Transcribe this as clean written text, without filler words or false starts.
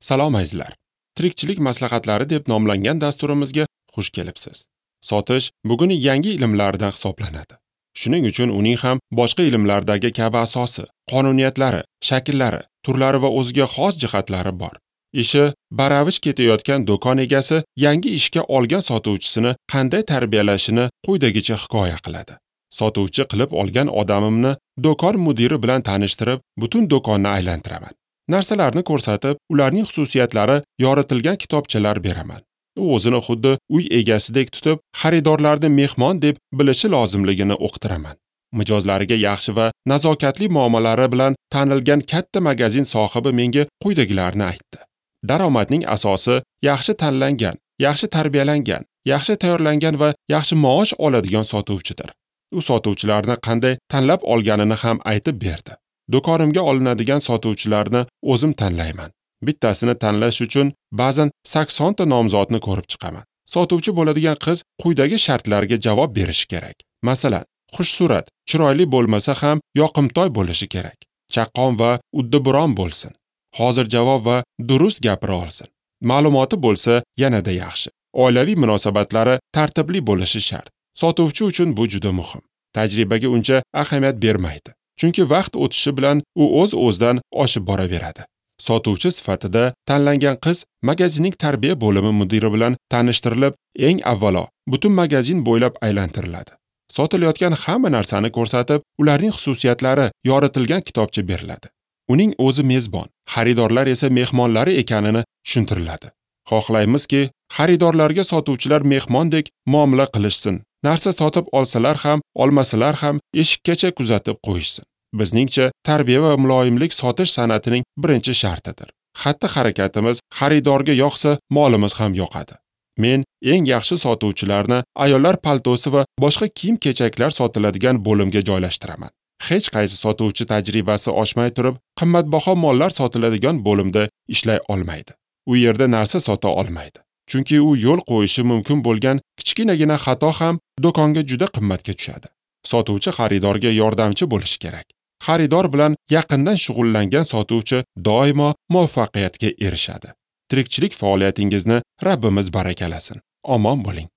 Salom azizlar. Tirikchilik maslahatlari deb nomlangan dasturimizga xush kelibsiz. Sotish bugun yangi ilmlardan hisoblanadi. Shuning uchun uning ham boshqa ilmlardagi kabi asosi, qonuniyatlari, shakllari, turlari va o'ziga xos jihatlari bor. Ishi baravish ketayotgan do'kon egasi yangi ishga olgan sotuvchisini qanday tarbiyalashini quyidagicha hikoya qiladi. Sotuvchi qilib olgan odamimni do'kon mudiri bilan tanishtirib, butun do'konni aylantiraman. Narsalarni ko'rsatib, ularning xususiyatlari yoritilgan kitobchalar beraman. U o'zini xuddi uy egasidek tutib, xaridorlarni mehmon deb bilishi lozimligini o'qitiraman. Mijozlariga yaxshi va nazokatli muomalalari bilan tanilgan katta magazin sohibi menga quyidagilarni aytdi. Daromadning asosi yaxshi tanlangan, yaxshi tarbiyalangan, yaxshi tayyorlangan va yaxshi maosh oladigan sotuvchidir. U sotuvchilarni qanday tanlab olganini ham aytib berdi. Do'konimga olinadigan sotuvchilarni o'zim tanlayman. Bittasini tanlash uchun ba'zan 80 ta nomzodni ko'rib chiqaman. Sotuvchi bo'ladigan qiz quyidagi shartlarga javob berishi kerak. Masalan, xushsurat, chiroyli bo'lmasa ham yoqimtoy bo'lishi kerak. Chaqqon va uddaburon bo'lsin. Hozir javob va durust gapira olsin. Ma'lumoti bo'lsa yanada yaxshi. Oilaviy munosabatlari tartibli bo'lishi shart. Sotuvchi uchun bu juda muhim. Tajribaga uncha ahamiyat bermaydi. Chunki vaqt o'tishi bilan u o'z-o'zidan oshib boraveradi. Sotuvchi sifatida tanlangan qiz magazinning tarbiya bo'limi mudiri bilan tanishtirilib, eng avvalo butun magazin bo'ylab aylantiriladi. Sotilayotgan hamma narsani ko'rsatib, ularning xususiyatlari yoritilgan kitobcha beriladi. Uning o'zi mezbon, xaridorlar esa mehmonlari ekanini tushuntiriladi. Xohlaymizki, xaridorlarga sotuvchilar mehmondek muomala qilishsin. Narsa sotib olsalar ham, olmasalar ham eshikkacha kuzatib qo'yishsin. Bizningcha, tarbiya va muloyimlik sotish san'atining birinchi shartidir. Xatti-harakatimiz xaridorga yoqsa, molimiz ham yoqadi. Men eng yaxshi sotuvchilarni ayollar paltosi va boshqa kiyim-kechaklar sotiladigan bo'limga joylashtiraman. Hech qaysi sotuvchi tajribasi oshmay turib, qimmatbaho mollar sotiladigan bo'limda ishlay olmaydi. U yerda narsa sota olmaydi. Chunki u yo'l qo'yishi mumkin bo'lgan kichkinagina xato ham do'konga juda qimmatga tushadi. Sotuvchi xaridorga yordamchi bo'lishi kerak. Xaridor bilan yaqindan shug'ullangan sotuvchi doimo muvaffaqiyatga erishadi. Tirikchilik faoliyatingizni Rabbimiz barakalasin. Omon bo'ling.